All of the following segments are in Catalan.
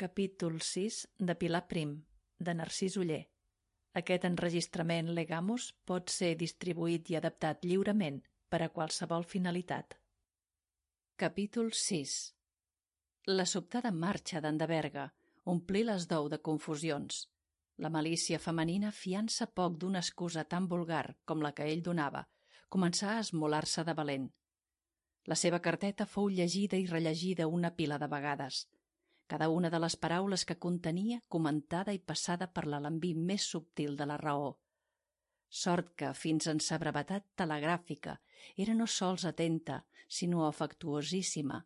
Capítol 6 de Pilar Prim, de Narcís Oller. Aquest enregistrament Legamus pot ser distribuït i adaptat lliurement per a qualsevol finalitat. Capítol 6. La sobtada marxa d'Endeberga omplí les dou de confusions. La malícia femenina, fiant-se poc d'una excusa tan vulgar com la que ell donava, començà a esmolar-se de valent. La seva carteta fou llegida i rellegida una pila de vegades. Cada una de les paraules que contenia comentada i passada per l'alambí més subtil de la raó. Sort que, fins en sa brevetat telegràfica, era no sols atenta, sinó afectuosíssima,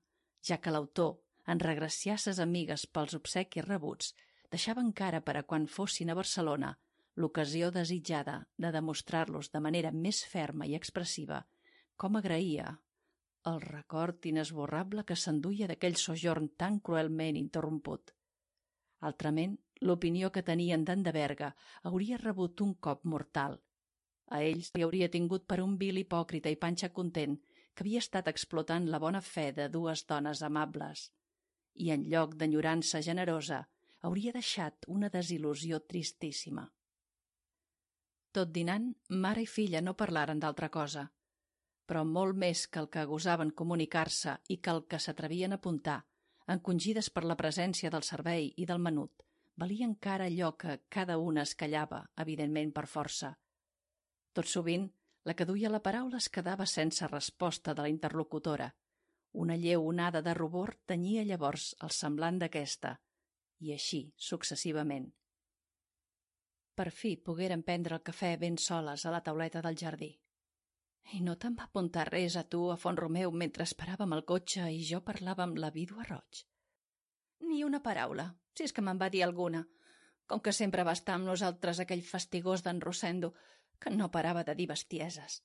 ja que l'autor, en regraciar ses amigues pels obsequis rebuts, deixava encara per a quan fossin a Barcelona l'ocasió desitjada de demostrar-los de manera més ferma i expressiva com agraïa el record inesborrable que s'enduia d'aquell sojorn tan cruelment interromput. Altrament, l'opinió que tenien d'Endeberga hauria rebut un cop mortal. A ells li hauria tingut per un vil hipòcrita i panxa content que havia estat explotant la bona fe de dues dones amables. I en lloc d'enyorança generosa, hauria deixat una desil·lusió tristíssima. Tot dinant, mare i filla no parlaren d'altra cosa, però molt més que el que gosaven comunicar-se i que el que s'atrevien a apuntar, encongides per la presència del servei i del menut, valia encara allò que cada una es callava, evidentment per força. Tot sovint, la que duia la paraula es quedava sense resposta de la interlocutora. Una lleu onada de rubor tenyia llavors el semblant d'aquesta, i així successivament. Per fi pogueren prendre el cafè ben soles a la tauleta del jardí. I no te'n va apuntar res a tu a Font-romeu mentre esperàvem el cotxe i jo parlava amb la vídua Roig? Ni una paraula, si és que me'n va dir alguna, com que sempre va estar amb nosaltres aquell fastigós d'en Rosendo, que no parava de dir bestieses.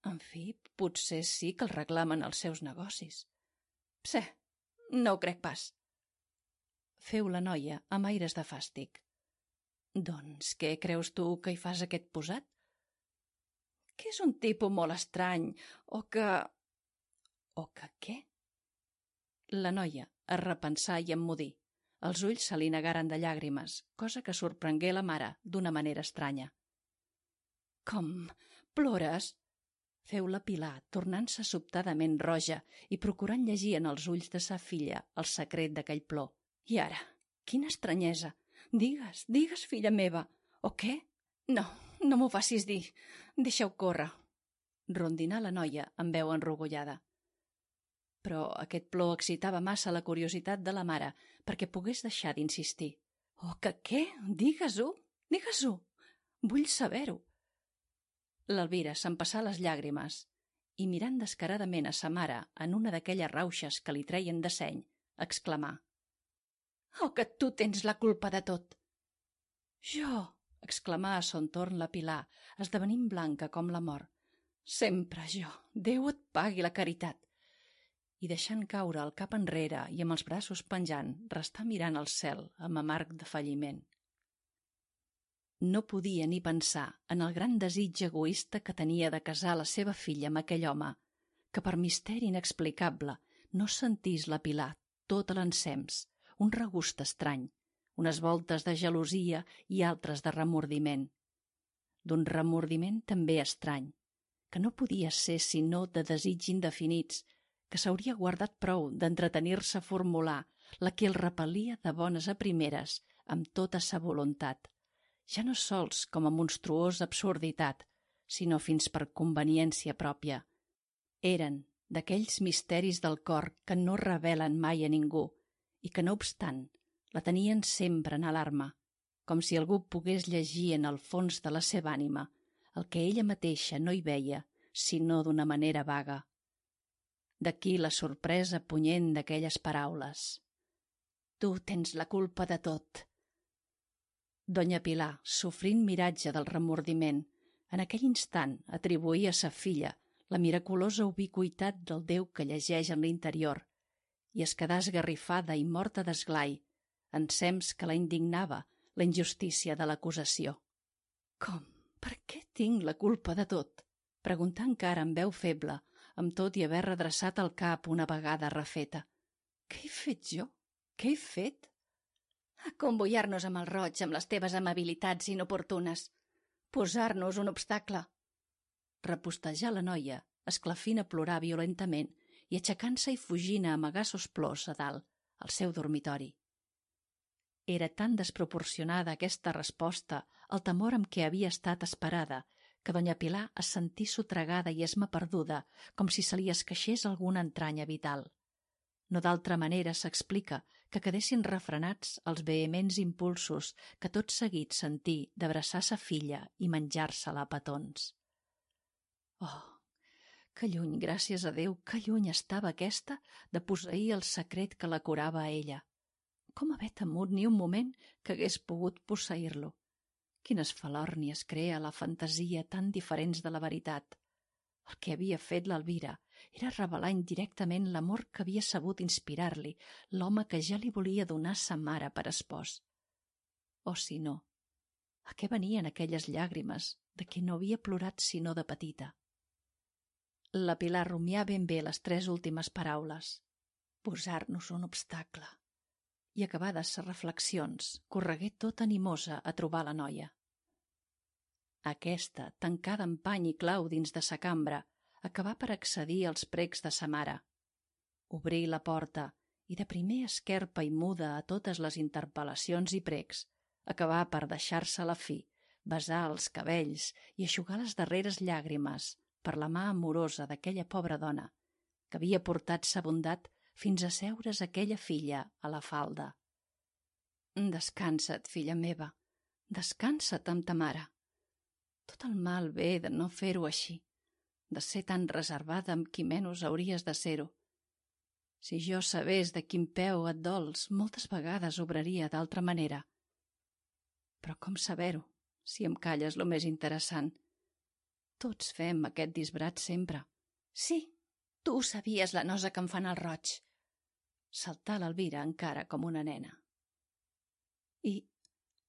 En fi, potser sí que el reclamen els seus negocis. Pse, no ho crec pas. Feu la noia amb aires de fàstic. Doncs què creus tu que hi fas aquest posat? Que és un tipus molt estrany, o que... O que què? La noia es repensà i emmudí. Els ulls se li negaren de llàgrimes, cosa que sorprengué la mare d'una manera estranya. Com? Plores? Feu la Pilar, tornant-se sobtadament roja i procurant llegir en els ulls de sa filla el secret d'aquell plor. I ara, quina estranyesa! Digues, digues, filla meva, o què? No m'ho facis dir. Deixa-ho córrer. Rondinà la noia amb veu enrogollada. Però aquest plor excitava massa la curiositat de la mare perquè pogués deixar d'insistir. Oh, que què? Digues-ho, digues-ho. Vull saber-ho. L'Elvira s'empassà les llàgrimes i, mirant descaradament a sa mare en una d'aquelles rauxes que li treien de seny, exclamà: Oh, que tu tens la culpa de tot. Jo! Exclamà a son torn la Pilar, esdevenint blanca com la mort. Sempre jo! Déu et pagui la caritat! I deixant caure el cap enrere i amb els braços penjant, restà mirant al cel amb amarg defalliment. No podia ni pensar en el gran desig egoista que tenia de casar la seva filla amb aquell home, que per misteri inexplicable no sentís la Pilar tot l'ensems, un regust estrany, unes voltes de gelosia i altres de remordiment. D'un remordiment també estrany, que no podia ser sinó de desig indefinits, que s'hauria guardat prou d'entretenir-se a formular la que el repel·lia de bones a primeres amb tota sa voluntat, ja no sols com a monstruosa absurditat, sinó fins per conveniència pròpia. Eren d'aquells misteris del cor que no revelen mai a ningú i que, no obstant, la tenien sempre en alarma, com si algú pogués llegir en el fons de la seva ànima el que ella mateixa no hi veia, sinó d'una manera vaga. D'aquí la sorpresa punyent d'aquelles paraules. Tu tens la culpa de tot. Donya Pilar, sofrint miratge del remordiment, en aquell instant atribuïa a sa filla la miraculosa ubiqüitat del Déu que llegeix en l'interior i es quedà esgarrifada i morta d'esglai, ensems que la indignava la injustícia de l'acusació. Com? Per què tinc la culpa de tot? Preguntà encara amb veu feble, amb tot i haver redreçat el cap una vegada refeta. Què he fet jo? Què he fet? Convoiar-nos amb el roig amb les teves amabilitats inoportunes. Posar-nos un obstacle. Repostejà la noia, esclafint a plorar violentament i aixecant-se i fugint a amagar sos plors a dalt, al seu dormitori. Era tan desproporcionada aquesta resposta al temor amb què havia estat esperada que doña Pilar es sentí sotragada i esmaperduda com si se li esqueixés alguna entranya vital. No d'altra manera s'explica que quedessin refrenats els vehements impulsos que tot seguit sentí d'abraçar sa filla i menjar-se-la a petons. Oh, que lluny, gràcies a Déu, que lluny estava aquesta de posseir el secret que la curava a ella. Com haver temut ni un moment que hagués pogut posseir-lo? Quines falòrnies crea la fantasia tan diferents de la veritat. El que havia fet l'Elvira era revelar indirectament l'amor que havia sabut inspirar-li l'home que ja li volia donar sa mare per espòs. O si no, a què venien aquelles llàgrimes de què no havia plorat sinó de petita? La Pilar rumià ben bé les 3 últimes paraules. Posar-nos un obstacle. I acabades ses reflexions, corregué tota animosa a trobar la noia. Aquesta, tancada amb pany i clau dins de sa cambra, acabà per accedir als precs de sa mare. Obrí la porta i de primer esquerpa i muda a totes les interpel·lacions i precs, acabà per deixar-se la fi, besar els cabells i eixugar les darreres llàgrimes per la mà amorosa d'aquella pobra dona, que havia portat sa bondat fins a seure's aquella filla a la falda. Descansa't, filla meva, descansa't amb ta mare. Tot el mal ve de no fer-ho així, de ser tan reservada amb qui menys hauries de ser-ho. Si jo sabés de quin peu et dols, moltes vegades obraria d'altra manera. Però com saber-ho, si em calles lo més interessant? Tots fem aquest disbrat sempre. Sí, tu sabies la nosa que em fan el roig. Saltà l'Elvira encara com una nena. I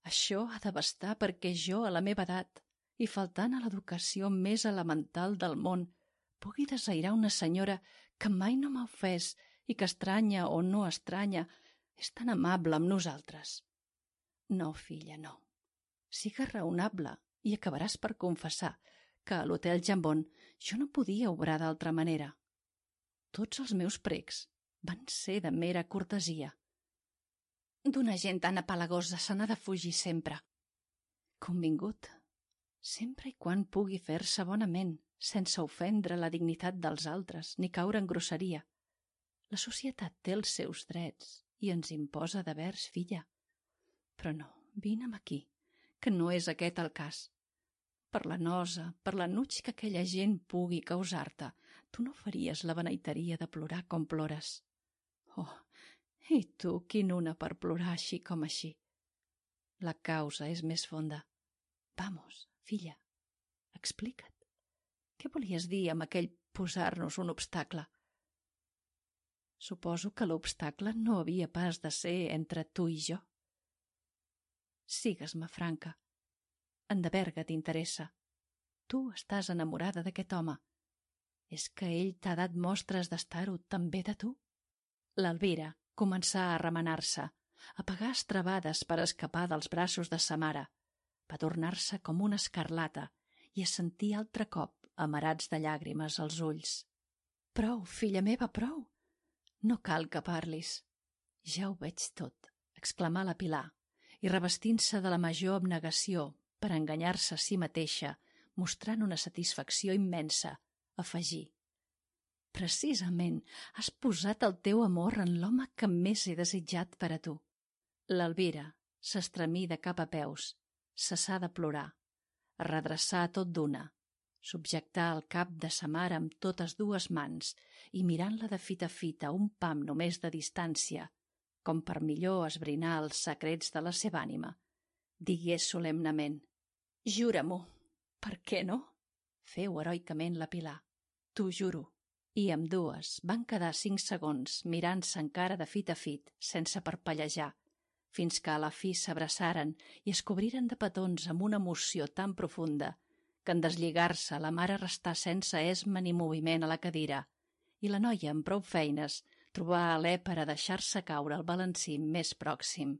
això ha de bastar perquè jo, a la meva edat, i faltant a l'educació més elemental del món, pugui desairar una senyora que mai no m'ha ofès i que estranya o no estranya és tan amable amb nosaltres. No, filla, no. Sigues raonable i acabaràs per confessar que a l'Hotel Jambon jo no podia obrar d'altra manera. Tots els meus precs van ser de mera cortesia. D'una gent tan apalagosa se n'ha de fugir sempre. Convingut, sempre i quan pugui fer-se bonament, sense ofendre la dignitat dels altres ni caure en grosseria. La societat té els seus drets i ens imposa devers, filla. Però no, vine'm aquí, que no és aquest el cas. Per la nosa, per l'enuig que aquella gent pugui causar-te, tu no faries la beneiteria de plorar com plores. Oh, i tu, quin una per plorar així com així. La causa és més fonda. Vamos, filla, explica't. Què volies dir amb aquell posar-nos un obstacle? Suposo que l'obstacle no havia pas de ser entre tu i jo. Sigues-me franca. En de Berga t'interessa. Tu estàs enamorada d'aquest home. És que ell t'ha dat mostres d'estar-ho també de tu? L'Elvira començà a remenar-se, a pegar estrabades per escapar dels braços de sa mare. Va tornar-se com una escarlata i a sentir altre cop amarats de llàgrimes als ulls. Prou, filla meva, prou! No cal que parlis. Ja ho veig tot, exclamà la Pilar, i revestint-se de la major abnegació per enganyar-se a si mateixa, mostrant una satisfacció immensa, afegí. Precisament has posat el teu amor en l'home que més he desitjat per a tu. L'Elvira s'estremí de cap a peus, cessà de plorar, redreçà tot d'una, subjectar el cap de sa mare amb totes 2 mans i mirant-la de fita a fita un pam només de distància, com per millor esbrinar els secrets de la seva ànima, digué solemnement: «Jura-m'ho». «Per què no?», feu heroicament la Pilar. «T'ho juro». I ambdues van quedar 5 segons mirant-se encara de fit a fit, sense parpellejar, fins que a la fi s'abraçaren i es cobriren de petons amb una emoció tan profunda que en deslligar-se la mare restà sense esma ni moviment a la cadira i la noia, amb prou feines, trobà alè per a deixar-se caure al balancí més pròxim.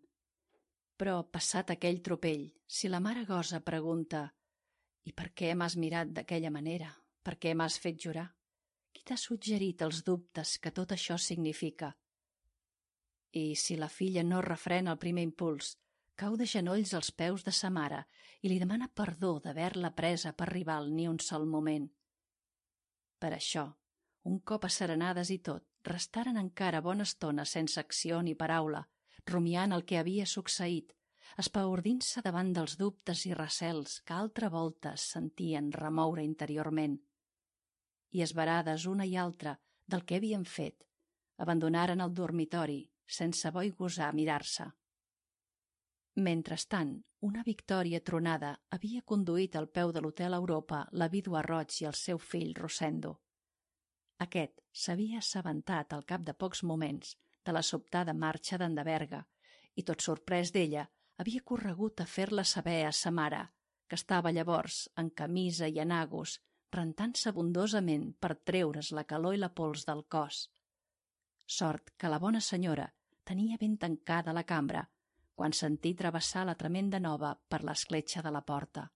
Però, passat aquell tropell, si la mare gosa pregunta «I per què m'has mirat d'aquella manera? Per què m'has fet jurar? Qui t'ha suggerit els dubtes que tot això significa?» I si la filla no refrena el primer impuls, cau de genolls als peus de sa mare i li demana perdó d'haver-la presa per rival ni un sol moment. Per això, un cop asserenades i tot, restaren encara bona estona sense acció ni paraula, rumiant el que havia succeït, espaordint-se davant dels dubtes i recels que altra volta sentien remoure interiorment. I esverades una i altra del que havien fet, abandonaren el dormitori sense bo i gosar mirar-se. Mentrestant, una Victòria tronada havia conduït al peu de l'Hotel Europa la vídua Roig i el seu fill Rosendo. Aquest s'havia assabentat al cap de pocs moments de la sobtada marxa d'en de Berga i, tot sorprès d'ella, havia corregut a fer-la saber a sa mare, que estava llavors en camisa i enagos, rentant-se abundosament per treure's la calor i la pols del cos. Sort que la bona senyora tenia ben tancada la cambra quan sentí travessar la tremenda nova per l'escletxa de la porta.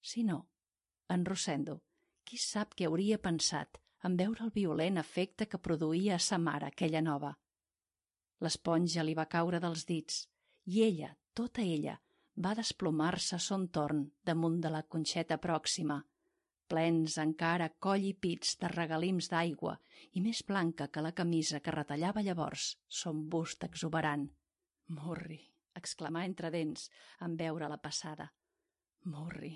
Si no, en Rosendo, qui sap què hauria pensat en veure el violent efecte que produïa a sa mare aquella nova. L'esponja li va caure dels dits i ella, tota ella, va desplomar-se a son torn damunt de la conxeta pròxima, plens encara coll i pits de regalims d'aigua i més blanca que la camisa que retallava llavors son bust exuberant. «Murri!», exclamà entre dents en veure-la passada. «Murri!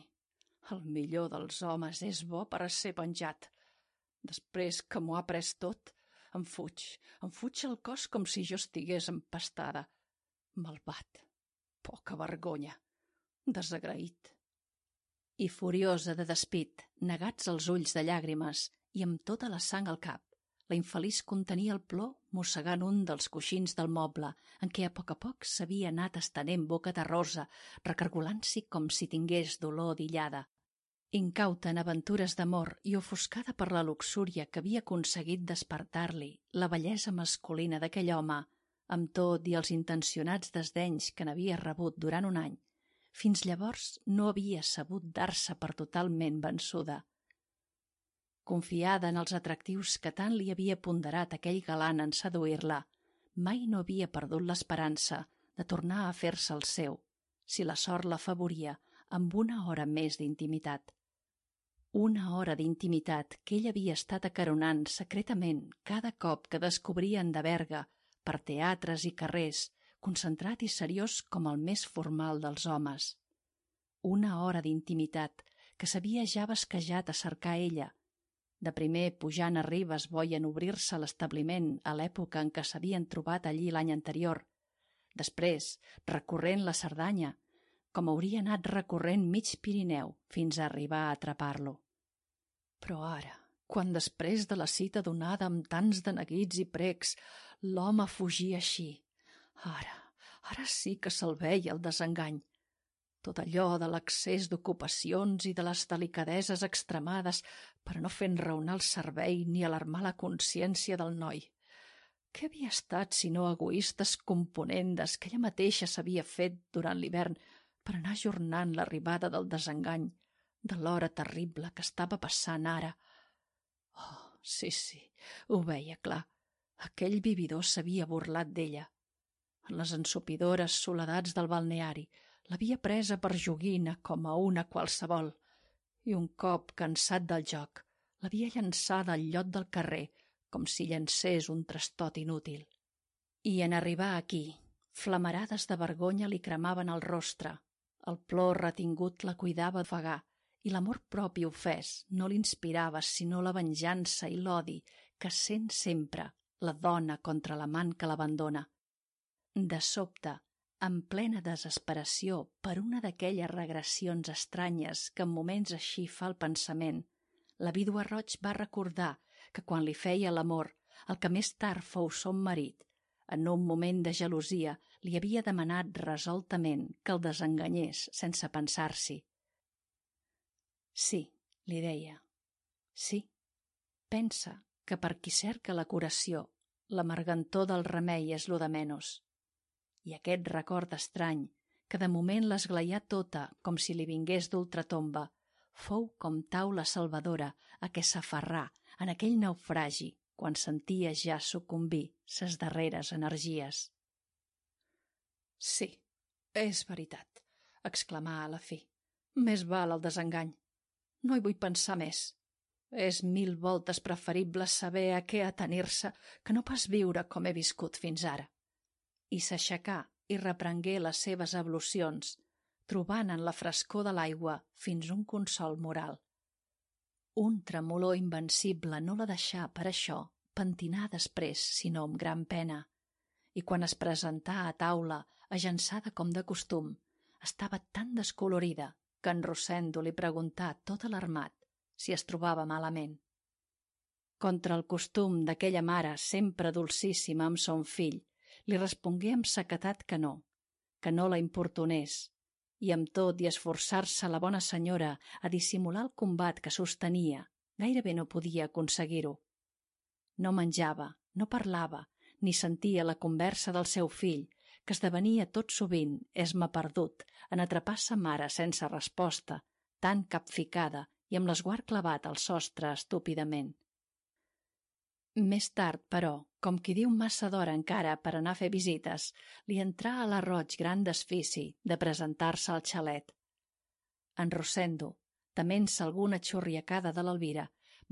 El millor dels homes és bo per a ser penjat. Després que m'ho ha pres tot, em fuig el cos com si jo estigués empastada. Malvat! Poca vergonya! Desagraït!» I furiosa de despit, negats els ulls de llàgrimes i amb tota la sang al cap, la infeliç contenia el plor mossegant un dels coixins del moble en què a poc s'havia anat estenent boca terrosa, recargolant-s'hi com si tingués dolor d'illada. Incauta en aventures d'amor i ofuscada per la luxúria que havia aconseguit despertar-li la bellesa masculina d'aquell home, amb tot i els intencionats desdenys que n'havia rebut durant un any, fins llavors no havia sabut dar-se per totalment vençuda. Confiada en els atractius que tant li havia ponderat aquell galant en seduir-la, mai no havia perdut l'esperança de tornar a fer-se el seu, si la sort l'afavoria amb una hora més d'intimitat. Una hora d'intimitat que ell havia estat acaronant secretament cada cop que descobria en de Berga, per teatres i carrers, concentrat i seriós com el més formal dels homes. Una hora d'intimitat que s'havia ja basquejat a cercar ella, de primer pujant a Ribes voien obrir-se l'establiment a l'època en què s'havien trobat allí l'any anterior, després recorrent la Cerdanya, com hauria anat recorrent mig Pirineu fins a arribar a atrapar-lo. Però ara, quan després de la cita donada amb tants de neguits i precs, l'home fugia així, ara sí que se'l veia el desengany. Tot allò de l'excés d'ocupacions i de les delicadeses extremades per no fer enraonar el cervell ni alarmar la consciència del noi. Què havia estat sinó egoistes componendes que ella mateixa s'havia fet durant l'hivern per anar ajornant l'arribada del desengany, de l'hora terrible que estava passant ara? Oh, sí, ho veia clar. Aquell vividor s'havia burlat d'ella. En les ensopidores soledats del balneari l'havia presa per joguina com a una qualsevol i un cop cansat del joc l'havia llançada al llot del carrer com si llancés un trastot inútil. I en arribar aquí, flamarades de vergonya li cremaven el rostre, el plor retingut la cuidava ofegar i l'amor propi ofès no l'inspirava sinó la venjança i l'odi que sent sempre la dona contra l'amant que l'abandona. De sobte, en plena desesperació per una d'aquelles regressions estranyes que en moments així fa el pensament, la vídua Roig va recordar que quan li feia l'amor, el que més tard fou son marit, en un moment de gelosia li havia demanat resoltament que el desenganyés sense pensar-s'hi. Sí, li deia, sí, pensa que per qui cerca la curació, l'amargantor del remei és lo de menys. I aquest record estrany, que de moment l'esglaià tota com si li vingués d'ultratomba, fou com taula salvadora a què s'aferrà en aquell naufragi quan sentia ja sucumbir ses darreres energies. «Sí, és veritat», exclamà a la fi. «Més val el desengany. No hi vull pensar més. És 1000 voltes preferible saber a què atenir-se que no pas viure com he viscut fins ara». I s'aixecà i reprengué les seves ablucions, trobant en la frescor de l'aigua fins un consol moral. Un tremolor invencible no la deixà per això pentinar després, sinó amb gran pena. I quan es presentà a taula, agençada com de costum, estava tan descolorida que en Rosendo li preguntà tot alarmat si es trobava malament. Contra el costum d'aquella mare sempre dolcíssima amb son fill, li respongué amb sequedat que no la importunés, i amb tot i esforçar-se la bona senyora a dissimular el combat que sostenia, gairebé no podia aconseguir-ho. No menjava, no parlava, ni sentia la conversa del seu fill, que esdevenia tot sovint esma perdut en atrapar sa mare sense resposta, tan capficada i amb l'esguard clavat al sostre estúpidament. Més tard, però, com qui diu massa d'hora encara per anar a fer visites, li entrà a la roig gran desfici de presentar-se al xalet. En Rosendo, tement-se alguna xurriacada de l'Elvira,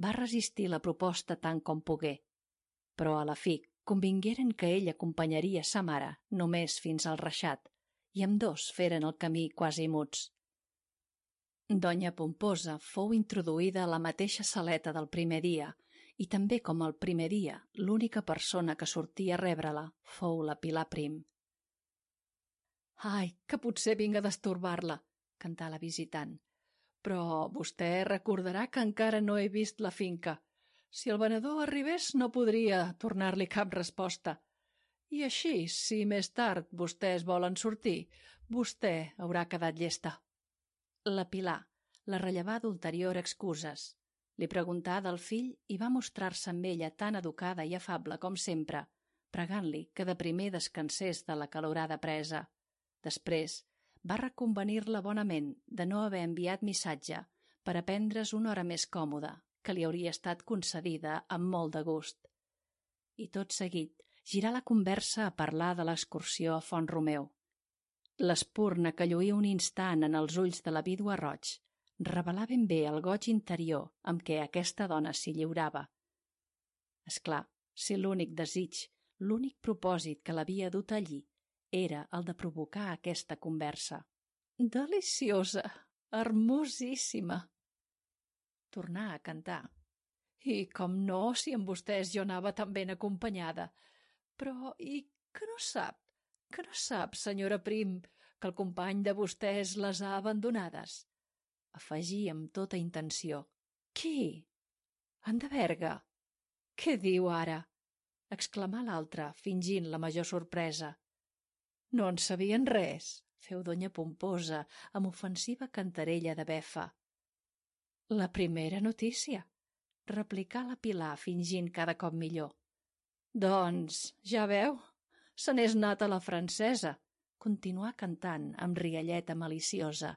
va resistir la proposta tant com pogué, però a la fi convingueren que ell acompanyaria sa mare només fins al reixat, i ambdós feren el camí quasi muts. Donya Pomposa fou introduïda a la mateixa saleta del primer dia, i també com el primer dia l'única persona que sortia a rebre-la fou la Pilar Prim. «Ai, que potser vinc a destorbar-la», cantà la visitant, «però vostè recordarà que encara no he vist la finca. Si el venedor arribés no podria tornar-li cap resposta. I així, si més tard vostès volen sortir, vostè haurà quedat llesta». La Pilar la rellevà d'ulterior excuses. Li preguntà del fill i va mostrar-se amb ella tan educada i afable com sempre, pregant-li que de primer descansés de la calorada presa. Després va reconvenir-la bonament de no haver enviat missatge per a prendre's una hora més còmoda, que li hauria estat concedida amb molt de gust. I tot seguit girà la conversa a parlar de l'excursió a Font-romeu. L'espurna que lluïa un instant en els ulls de la vídua Roig revelà ben bé el goig interior amb què aquesta dona s'hi lliurava. És clar, si l'únic desig, l'únic propòsit que l'havia dut allí era el de provocar aquesta conversa. «Deliciosa, hermosíssima!» Tornà a cantar. «I com no, si amb vostès jo anava tan ben acompanyada. Però, i que no sap, senyora Prim, que el company de vostès les ha abandonades?» Afegí amb tota intenció. «Qui? En de Berga? Què diu ara?» exclamà l'altra, fingint la major sorpresa. «No en sabien res», feu Donya Pomposa amb ofensiva cantarella de befa. «La primera notícia», replicà la Pilar fingint cada cop millor. «Doncs, ja veu, se n'és anat a la francesa», continuà cantant amb rialleta maliciosa,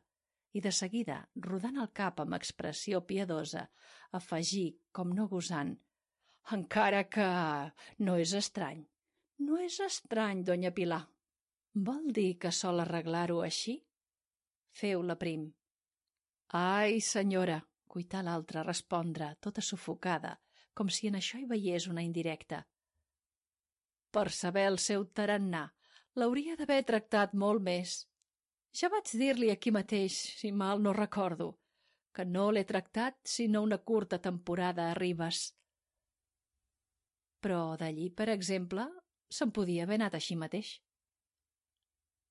i de seguida, rodant el cap amb expressió piadosa, afegí, com no gosant, «encara que no és estrany. No és estrany, Donya Pilar. Vol dir que sol arreglar-ho així?» Feu la Prim. «Ai, senyora», cuità l'altra a respondre, tota sufocada, com si en això hi veiés una indirecta. «Per saber el seu tarannà, l'hauria d'haver tractat molt més. Ja vaig dir-li aquí mateix, si mal no recordo, que no l'he tractat sinó una curta temporada a Ribes. Però d'allí, per exemple, se'n podia haver anat així mateix».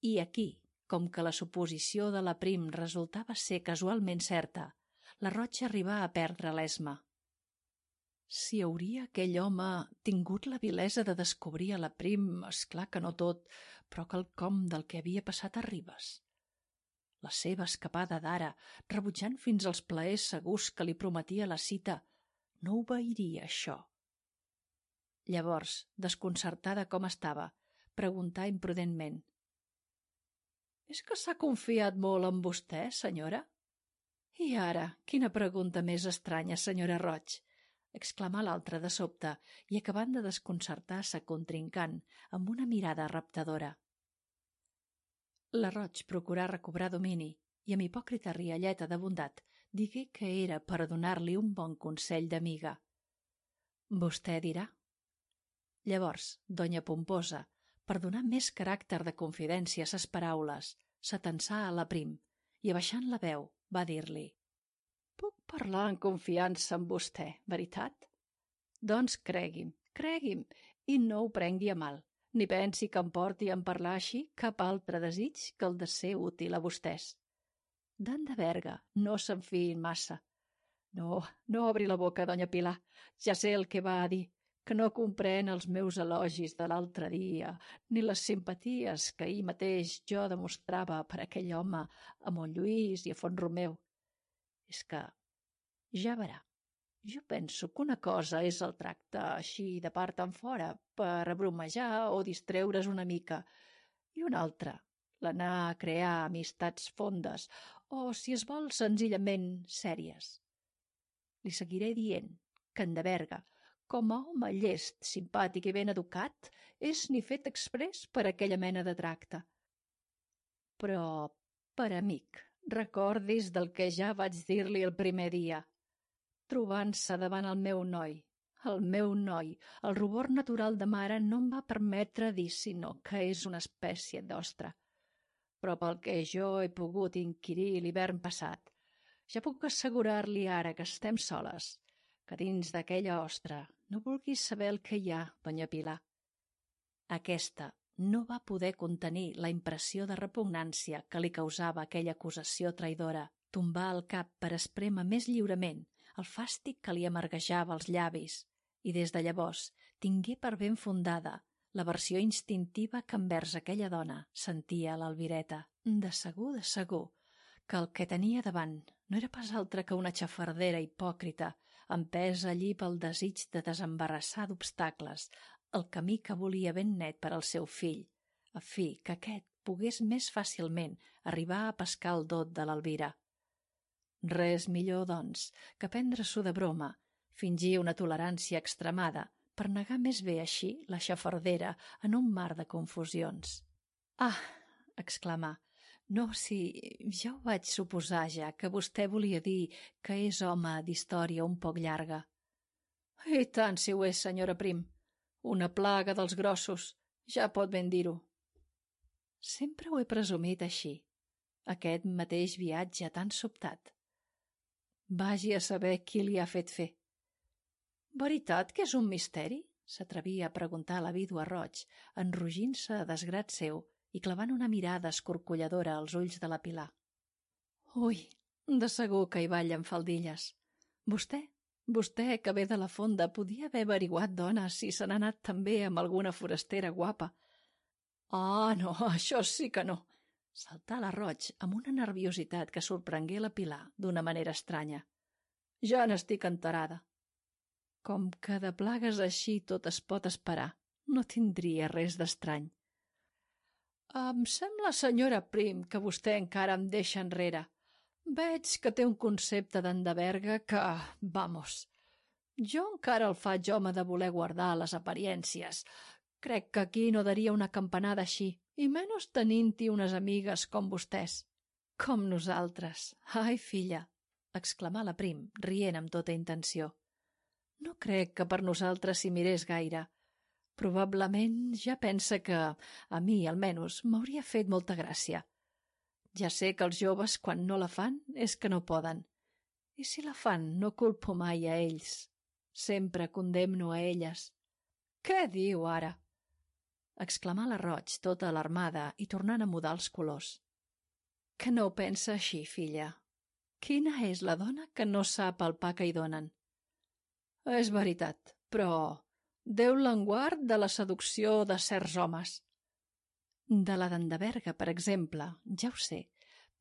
I aquí, com que la suposició de la Prim resultava ser casualment certa, la Roig arribà a perdre l'esma. Si hauria aquell home tingut la vilesa de descobrir a la Prim, esclar que no tot, però quelcom del que havia passat a Ribes. La seva escapada d'ara, rebutjant fins als plaers segurs que li prometia la cita, no obeiria això. Llavors, desconcertada com estava, preguntà imprudentment. És que s'ha confiat molt en vostè, senyora? I ara, quina pregunta més estranya, senyora Roig! Exclamà l'altra de sobte i acabant de desconcertar sa contrincant amb una mirada raptadora. La Roig procurà recobrar domini i amb hipòcrita rialleta de bondat digué que era per donar-li un bon consell d'amiga. Vostè dirà. Llavors, doña Pomposa, per donar més caràcter de confidència a ses paraules, s'atensà a la Prim i, abaixant la veu, va dir-li: «Puc parlar en confiança amb vostè, veritat? Doncs cregui'm, i no ho prengui a mal, ni pensi que em porti a parlar així cap altre desig que el de ser útil a vostès. D'en de Berga, no se'n fiïn massa. No obri la boca, doña Pilar, ja sé el que va a dir, que no comprèn els meus elogis de l'altre dia, ni les simpaties que ahir mateix jo demostrava per aquell home a Montlluís i a Font-romeu. És que, ja verà, jo penso que una cosa és el tracte així de part en fora per abromejar o distreure's una mica, i una altra, l'anar a crear amistats fondes o, si es vol, senzillament sèries. Li seguiré dient que en de Berga, com a home llest, simpàtic i ben educat, és ni fet exprés per aquella mena de tracte. Però, per amic, recordis del que ja vaig dir-li el primer dia. Trobant-se davant el meu noi, el rubor natural de mare no em va permetre dir sinó que és una espècie d'ostra. Però pel que jo he pogut inquirir l'hivern passat, ja puc assegurar-li ara que estem soles, que dins d'aquella ostra no vulguis saber el que hi ha, doña Pilar. Aquesta no va poder contenir la impressió de repugnància que li causava aquella acusació traïdora. Tombà el cap per esprémer més lliurement el fàstic que li amarguejava els llavis i des de llavors tingué per ben fundada l'aversió instintiva que envers aquella dona sentia l'Albireta. De segur, que el que tenia davant no era pas altre que una xafardera hipòcrita, empesa allí pel desig de desembarassar d'obstacles el camí que volia ben net per al seu fill, a fi que aquest pogués més fàcilment arribar a pescar el dot de l'Elvira. Res millor, doncs, que prendre-s'ho de broma, fingir una tolerància extremada per negar més bé així la xafardera en un mar de confusions. «Ah!», exclamà, «no, si ja ho vaig suposar ja, que vostè volia dir que és home d'història un poc llarga». «I tant si ho és, senyora Prim. Una plaga dels grossos, ja pot ben dir-ho». «Sempre ho he presumit així, aquest mateix viatge tan sobtat. Vagi a saber qui li ha fet fer». «Veritat que és un misteri?», s'atrevia a preguntar la vídua Roig, enrogint-se a desgrat seu i clavant una mirada escorcolladora als ulls de la Pilar. «Ui, de segur que hi ballen faldilles. Vostè, que ve de la fonda, podia haver averiguat, dona, si se n'ha anat també amb alguna forastera guapa». «Ah, no, això sí que no», saltà la Roig amb una nerviositat que sorprengué la Pilar d'una manera estranya. «Ja n'estic enterada». «Com que de plagues així tot es pot esperar, no tindria res d'estrany». «Em sembla, senyora Prim, que vostè encara em deixa enrere. Veig que té un concepte d'en de Berga que, vamos, jo encara el faig home de voler guardar les apariències. Crec que aquí no daria una campanada així, i menys tenint-hi unes amigues com vostès». «Com nosaltres. Ai, filla», exclamà la Prim, rient amb tota intenció. «No crec que per nosaltres s'hi mirés gaire. Probablement ja pensa que, a mi almenys, m'hauria fet molta gràcia. Ja sé que els joves, quan no la fan, és que no poden. I si la fan, no culpo mai a ells. Sempre condemno a elles». «Què diu ara?», exclamà la Roig, tota alarmada i tornant a mudar els colors. «Que no ho pensa així, filla? Quina és la dona que no sap el pa que hi donen?» «És veritat, però Déu l'enguard de la seducció de certs homes». «De la d'en de Berga, per exemple, ja ho sé,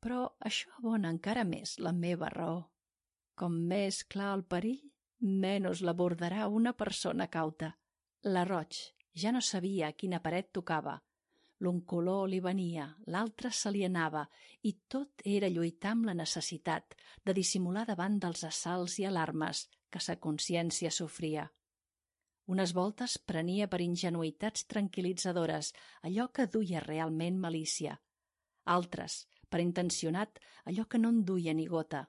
però això abona encara més la meva raó. Com més clar el perill, menys l'abordarà una persona cauta». La Roig ja no sabia a quina paret tocava. L'un color li venia, l'altre se li anava, i tot era lluitar amb la necessitat de dissimular davant dels assalts i alarmes que sa consciència sofria. Unes voltes prenia per ingenuïtats tranquil·litzadores allò que duia realment malícia. Altres, per intencionat, allò que no en duia ni gota.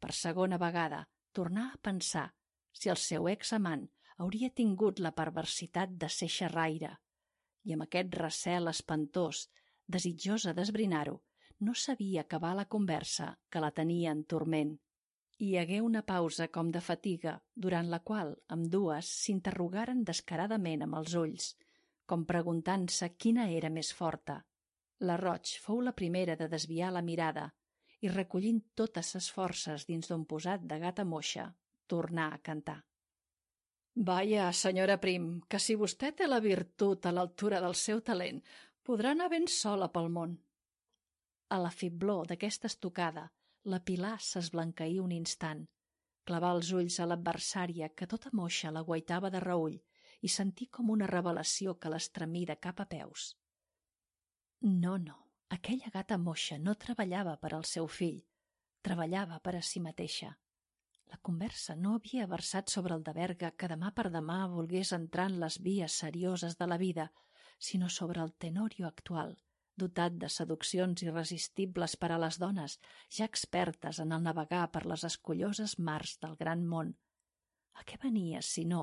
Per segona vegada, tornà a pensar si el seu examant hauria tingut la perversitat de ser xerraire, i amb aquest recel espantós, desitjosa d'esbrinar-ho, no sabia acabar la conversa que la tenia en turment. Hi hagué una pausa com de fatiga, durant la qual ambdues s'interrogaren descaradament amb els ulls, com preguntant-se quina era més forta. La Roig fou la primera de desviar la mirada i, recollint totes ses forces dins d'un posat de gata moixa, tornà a cantar. «Vaja, senyora Prim, que si vostè té la virtut a l'altura del seu talent, podrà anar ben sola pel món». A la fiblor d'aquesta estocada, la Pilar s'esblanqueí un instant, clavà els ulls a l'adversària que tota moixa la guaitava de reüll i sentí com una revelació que l'estremí de cap a peus. No, aquella gata moixa no treballava per al seu fill, treballava per a si mateixa. La conversa no havia versat sobre el de Berga que demà per demà volgués entrar en les vies serioses de la vida, sinó sobre el Tenorio actual, dotat de seduccions irresistibles per a les dones, ja expertes en el navegar per les escolloses mars del gran món. A què venia, si no,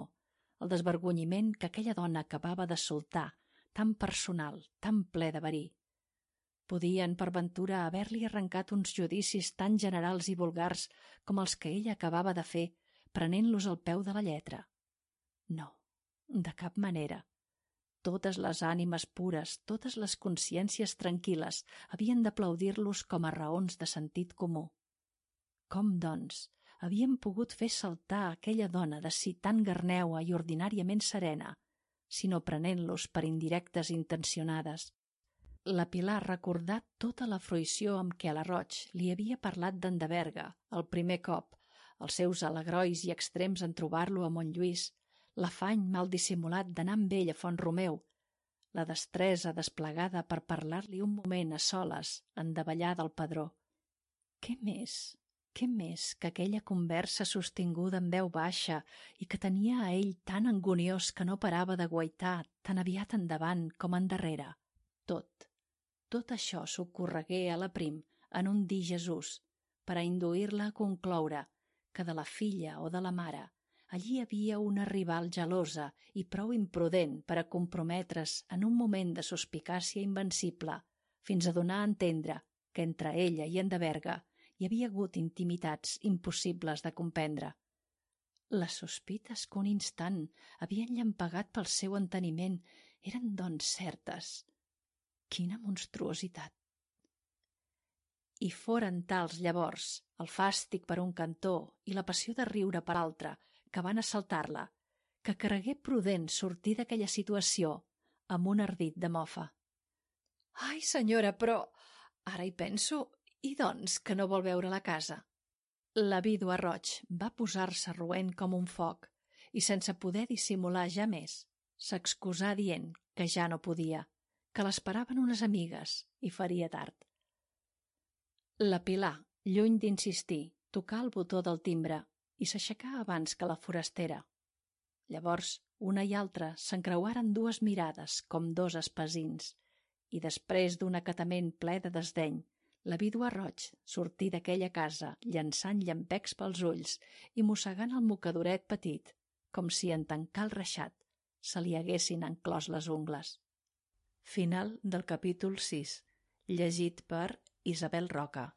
el desvergonyiment que aquella dona acabava de soltar, tan personal, tan ple de verí? Podien, per ventura, haver-li arrencat uns judicis tan generals i vulgars com els que ella acabava de fer, prenent-los al peu de la lletra? No, de cap manera. Totes les ànimes pures, totes les consciències tranquil·les havien d'aplaudir-los com a raons de sentit comú. Com, doncs, havien pogut fer saltar aquella dona de si tan garneua i ordinàriament serena, sinó prenent-los per indirectes intencionades? La Pilar recordà tota la fruïció amb què a la Roig li havia parlat d'en de Berga el primer cop, els seus alegrois i extrems en trobar-lo a Montlluís, l'afany mal dissimulat d'anar amb ell a Font-romeu, la destresa desplegada per parlar-li un moment a soles en davallar del padró. Què més que aquella conversa sostinguda en veu baixa i que tenia a ell tan anguniós que no parava de guaitar tan aviat endavant com endarrere? Tot això s'ocorregué a la Prim en un dir Jesús, per a induir-la a concloure que de la filla o de la mare allí hi havia una rival gelosa i prou imprudent per a comprometre's en un moment de suspicàcia invencible, fins a donar a entendre que entre ella i en de Berga hi havia hagut intimitats impossibles de comprendre. Les sospites que un instant havien llampagat pel seu enteniment eren, doncs, certes. Quina monstruositat! I foren tals, llavors, el fàstic per un cantó i la passió de riure per altre, que van assaltar-la, que cregué prudent sortir d'aquella situació amb un ardit de mofa. «Ai, senyora, però ara hi penso, i doncs que no vol veure la casa?» La vídua Roig va posar-se roent com un foc i, sense poder dissimular ja més, s'excusà dient que ja no podia, que l'esperaven unes amigues i faria tard. La Pilar, lluny d'insistir, tocà el botó del timbre i s'aixecà abans que la forastera. Llavors, una i altra s'encreuaren dues mirades com dos espasins i, després d'un acatament ple de desdeny, la vídua Roig sortí d'aquella casa llançant llampecs pels ulls i mossegant el mocadoret petit, com si en tancar el reixat se li haguessin enclòs les ungles. Final del capítol 6, llegit per Isabel Roca.